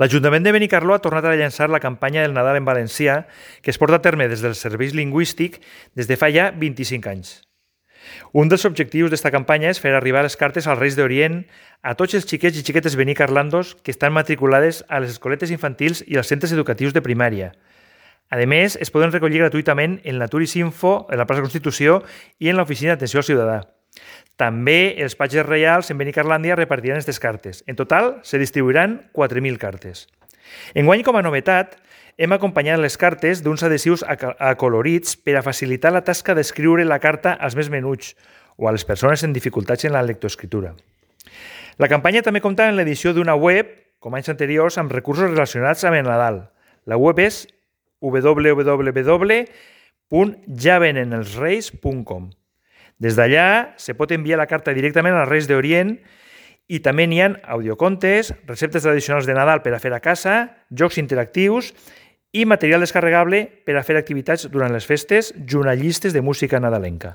L'Ajuntament de Benicarló ha tornat a llançar la campanya del Nadal en valencià, que es porta a terme des del Servei Lingüístic des de fa ja 25 anys. Un dels objectius d'esta campanya és fer arribar les cartes als Reis d'Orient a tots els xiquets i xiquetes benicarlandos que estan matriculades a les escoletes infantils i als centres educatius de primària. A més, es poden recollir gratuïtament en la Turisinfo, en la plaça Constitució i en l'Oficina d'Atenció al Ciutadà. També els patges reials en Benicarlàndia repartiran aquestes cartes. En total, se distribuiran 4.000 cartes. Enguany, com a novetat, hem acompanyat les cartes d'uns adhesius acolorits per a facilitar la tasca d'escriure la carta als més menuts o a les persones en dificultats en la lectoescriptura. La campanya també compta amb l'edició d'una web, com anys anteriors, amb recursos relacionats amb el Nadal. La web és www.javenenelsreis.com. Des d'allà se pot enviar la carta directament als Reis d'Orient i també n'hi ha audiocontes, receptes tradicionals de Nadal per a fer a casa, jocs interactius i material descarregable per a fer activitats durant les festes junt a llistes de música nadalenca.